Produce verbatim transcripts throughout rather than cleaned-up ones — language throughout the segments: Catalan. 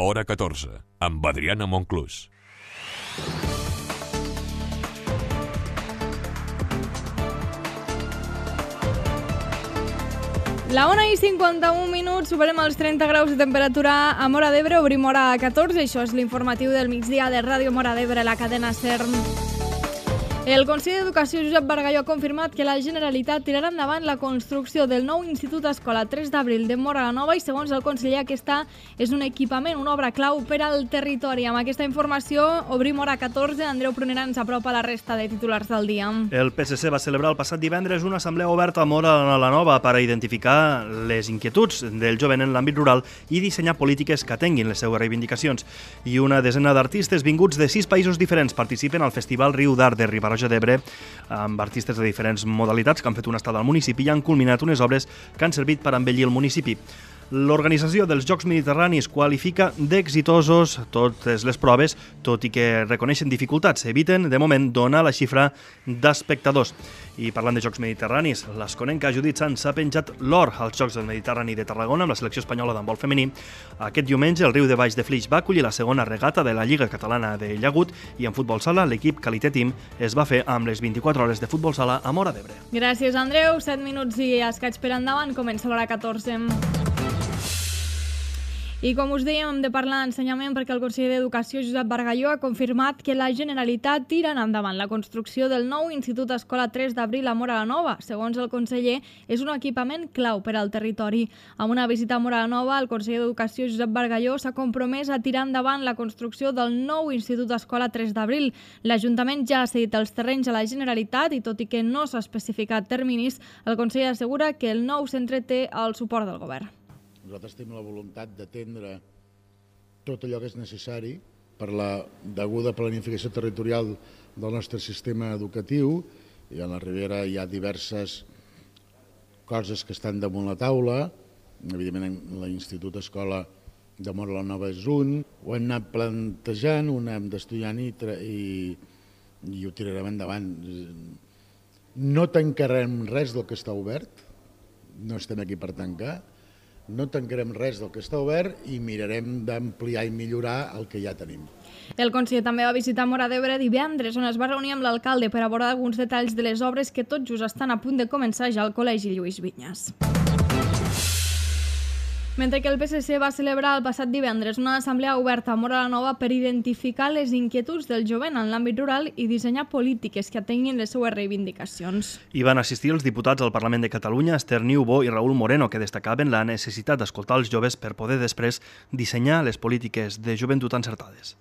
Hora catorze, amb Adriana Monclús. La una i cinquanta-un minuts, superem els trenta graus de temperatura a Móra d'Ebre, obrim hora catorze, això és l'informatiu del migdia de Ràdio Móra d'Ebre, la cadena SER. El Consell d'Educació Josep Bargalló ha confirmat que la Generalitat tirarà endavant la construcció del nou Institut Escola tres d'abril de Móra la Nova i, segons el conseller, aquesta és un equipament, una obra clau per al territori. Amb aquesta informació obrim hora catorze. Andreu Prunera ens apropa la resta de titulars del dia. El P S C va celebrar el passat divendres una assemblea oberta a Móra la Nova per a identificar les inquietuds del jovent en l'àmbit rural i dissenyar polítiques que atenguin les seues reivindicacions. I una desena d'artistes vinguts de sis països diferents participen al Festival Riu d'Art de Ribarroja d'Ebre, amb artistes de diferents modalitats que han fet una estada al municipi i han culminat unes obres que han servit per embellir el municipi. L'organització dels Jocs Mediterranis qualifica d'exitosos totes les proves, tot i que reconeixen dificultats. Eviten, de moment, donar la xifra d'espectadors. I parlant de Jocs Mediterranis, l'Esconenca Judit Sans ha penjat l'or als Jocs del Mediterrani de Tarragona amb la selecció espanyola d'handbol femení. Aquest diumenge el Riu de Baix de Flix va acollir la segona regata de la Lliga Catalana de Llagut i en futbol sala l'equip Qualité Team es va fer amb les vint-i-quatre hores de futbol sala a Móra d'Ebre. Gràcies, Andreu. set minuts i escaig per endavant. Comença l'hora catorze. I com us dèiem, hem de parlar d'ensenyament perquè el conseller d'Educació, Josep Bargalló, ha confirmat que la Generalitat tira endavant la construcció del nou Institut Escola tres d'abril a Móra la Nova. Segons el conseller, és un equipament clau per al territori. Amb una visita a Móra la Nova, el conseller d'Educació, Josep Bargalló, s'ha compromès a tirar endavant la construcció del nou Institut Escola tres d'abril. L'Ajuntament ja ha cedit els terrenys a la Generalitat i, tot i que no s'ha especificat terminis, el conseller assegura que el nou centre té el suport del govern. Nosaltres tenim la voluntat d'atendre tot allò que és necessari per la deguda planificació territorial del nostre sistema educatiu. I a la Ribera hi ha diverses coses que estan damunt la taula. Evidentment, l'Institut Escola de Móra la Nova és un. Ho hem anat plantejant, ho hem d'estudiant i, i, i ho tirarem endavant. No tancarem res del que està obert, no estem aquí per tancar. No tancarem res del que està obert i mirarem d'ampliar i millorar el que ja tenim. El conseller també va visitar Móra d'Ebre divendres, on es va reunir amb l'alcalde per abordar alguns detalls de les obres que tot just estan a punt de començar ja al Col·legi Lluís Vinyes. Mentre que el P S C va celebrar el passat divendres una assemblea oberta a Móra la Nova per identificar les inquietuds del jovent en l'àmbit rural i dissenyar polítiques que atenguin les seues reivindicacions. Hi van assistir els diputats al Parlament de Catalunya, Esther Niubó i Raül Moreno, que destacaven la necessitat d'escoltar els joves per poder després dissenyar les polítiques de joventut encertades.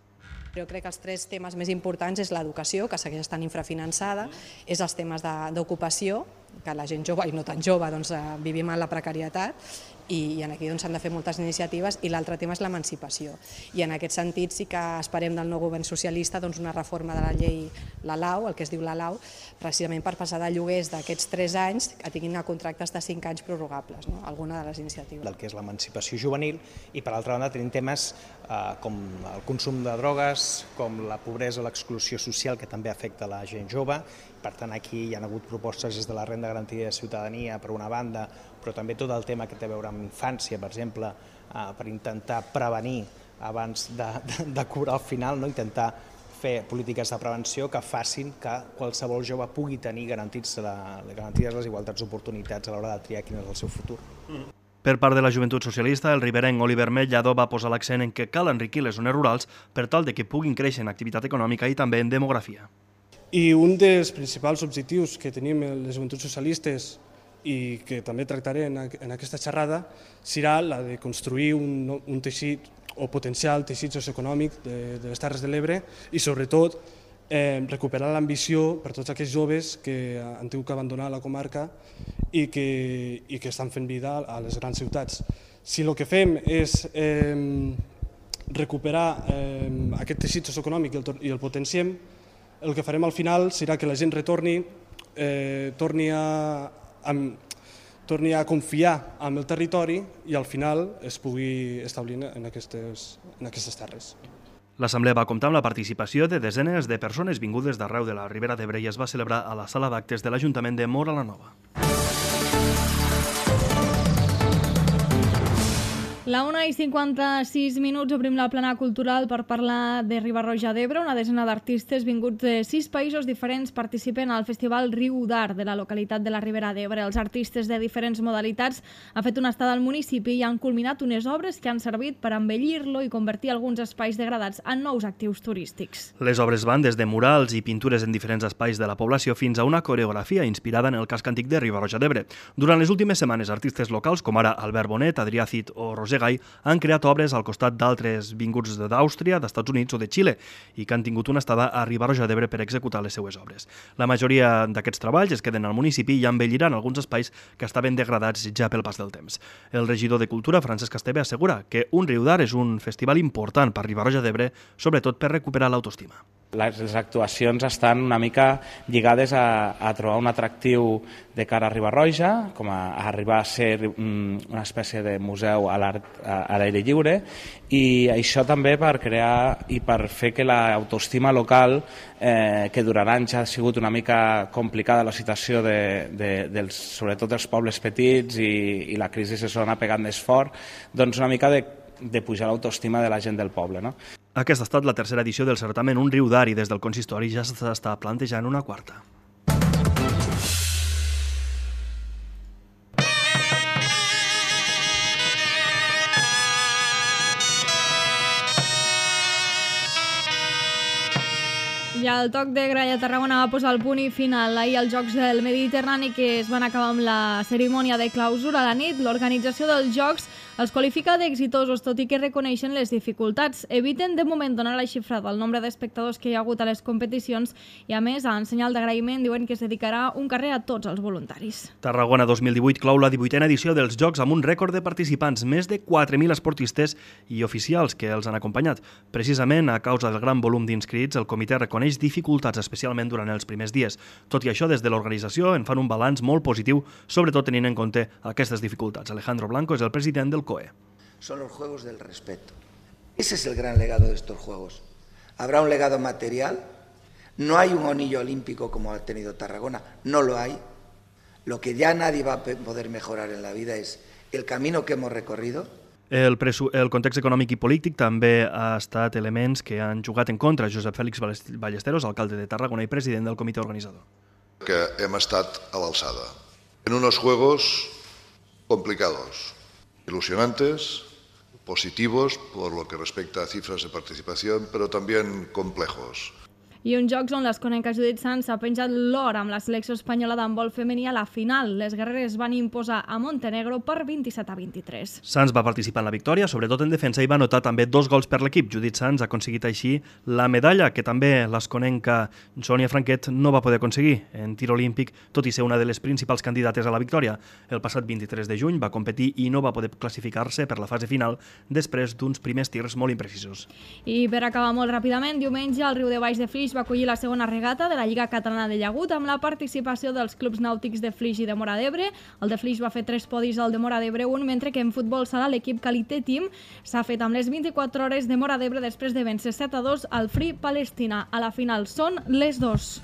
Jo crec que els tres temes més importants és l'educació, que segueix estant infrafinançada, és els temes d'ocupació, que la gent jove i no tan jove doncs, vivim en la precarietat, i aquí s'han doncs, de fer moltes iniciatives, i l'altre tema és l'emancipació. I en aquest sentit sí que esperem del nou govern socialista doncs, una reforma de la llei, la LAU, el que es diu la LAU, precisament per passar de lloguers d'aquests tres anys que tinguin a contractes de cinc anys prorrogables, no? Alguna de les iniciatives. Del que és l'emancipació juvenil, i per altra banda tenim temes eh, com el consum de drogues, com la pobresa o l'exclusió social, que també afecta la gent jove. Per tant, aquí hi ha hagut propostes des de la renda garantida de ciutadania, per una banda, però també tot el tema que té a veure amb infància, per exemple, eh, per intentar prevenir abans de, de, de curar al final, no? Intentar fer polítiques de prevenció que facin que qualsevol jove pugui tenir garantits, la, garantides les igualtats d'oportunitats a l'hora de triar quin és el seu futur. Per part de la Joventut Socialista, el riberenc Oliver Mellado va posar l'accent en que cal enriquir les zones rurals per tal de que puguin créixer en activitat econòmica i també en demografia. I un dels principals objectius que tenim les Joventuts Socialistes i que també tractaré en aquesta xerrada serà la de construir un, un teixit o potenciar el teixit socioeconòmic de, de les Terres de l'Ebre i, sobretot, eh, recuperar l'ambició per tots aquells joves que han tingut que abandonar la comarca i que, i que estan fent vida a les grans ciutats. Si el que fem és eh, recuperar eh, aquest teixit socioeconòmic i el, i el potenciem, el que farem al final serà que la gent retorni, eh, torni, a, a, torni a confiar en el territori i al final es pugui establir en aquestes, en aquestes terres. L'assemblea va comptar amb la participació de desenes de persones vingudes d'arreu de la Ribera d'Ebre i es va celebrar a la sala d'actes de l'Ajuntament de Móra la Nova. La una i cinquanta-sis minuts obrim la plana cultural per parlar de Riba-roja d'Ebre. Una desena d'artistes vinguts de sis països diferents participen al Festival Riu d'Art de la localitat de la Ribera d'Ebre. Els artistes de diferents modalitats han fet una estada al municipi i han culminat unes obres que han servit per embellir-lo i convertir alguns espais degradats en nous actius turístics. Les obres van des de murals i pintures en diferents espais de la població fins a una coreografia inspirada en el casc antic de Riba-roja d'Ebre. Durant les últimes setmanes, artistes locals com ara Albert Bonet, Adrià Cid o Roser Gai han creat obres al costat d'altres vinguts d'Àustria, d'Estats Units o de Xile i que han tingut una estada a Riba-roja d'Ebre per executar les seues obres. La majoria d'aquests treballs es queden al municipi i embelliran alguns espais que estaven degradats ja pel pas del temps. El regidor de Cultura, Francesc Esteve, assegura que un Riu d'Art és un festival important per Riba-roja d'Ebre, sobretot per recuperar l'autoestima. Les, les actuacions estan una mica lligades a, a trobar un atractiu de cara a Riba-roja, com a, a arribar a ser um, una espècie de museu a l'art a l'aire lliure, i això també per crear i per fer que l'autoestima local, eh, que durant anys ha sigut una mica complicada la situació de, de, dels, sobretot dels pobles petits i, i la crisi se s'ha pegat més fort, doncs una mica de, de pujar l'autoestima de la gent del poble, no? Aquesta ha estat la tercera edició del certamen Un Riu d'Art i des del consistori ja s'està plantejant una quarta. I el toc de gralla a Tarragona va posar el punt i final. Ahir els Jocs del Mediterrani, que es van acabar amb la cerimònia de clausura a la nit, l'organització dels Jocs els qualifica d'exitosos, tot i que reconeixen les dificultats. Eviten de moment donar la xifra del nombre d'espectadors que hi ha hagut a les competicions i, a més, en senyal d'agraïment, diuen que es dedicarà un carrer a tots els voluntaris. Tarragona dos mil divuit clou la divuitena edició dels Jocs amb un rècord de participants, més de quatre mil esportistes i oficials que els han acompanyat. Precisament, a causa del gran volum d'inscrits, el comitè reconeix dificultats, especialment durant els primers dies. Tot i això, des de l'organització en fan un balanç molt positiu, sobretot tenint en compte aquestes dificultats. Alejandro Blanco és el president del C O E. Son los Juegos del Respeto. Ese es el gran legado de estos Juegos. Habrá un legado material. No hay un anillo olímpico como ha tenido Tarragona, no lo hay. Lo que ya nadie va a poder mejorar en la vida es el camino que hemos recorrido. El, el context econòmic i polític també ha estat elements que han jugat en contra. Josep Félix Ballesteros, alcalde de Tarragona i president del comitè organitzador. Que hem estat a l'alçada. En unos Juegos complicados, ilusionantes, positivos por lo que respecta a cifras de participación, pero también complejos. I uns Jocs on l'Esconenca Judit Sans ha penjat l'or amb la selecció espanyola d'handbol femení a la final. Les guerreres van imposar a Montenegro per vint-i-set a vint-i-tres. Sans va participar en la victòria, sobretot en defensa, i va anotar també dos gols per l'equip. Judit Sans ha aconseguit així la medalla, que també l'esconenca Sònia Franquet no va poder aconseguir en tir olímpic, tot i ser una de les principals candidates a la victòria. El passat vint-i-tres de juny va competir i no va poder classificar-se per la fase final després d'uns primers tirs molt imprecisos. I per acabar molt ràpidament, diumenge el Riu de Baix de Flix va acollir la segona regata de la Lliga Catalana de Llagut amb la participació dels clubs nàutics de Flix i de Móra d'Ebre. El de Flix va fer tres podis, al de Móra d'Ebre un, mentre que en futbol sala l'equip Calité Team s'ha fet amb les vint-i-quatre hores de Móra d'Ebre després de vèncer set a dos al Free Palestina. A la final són les dos.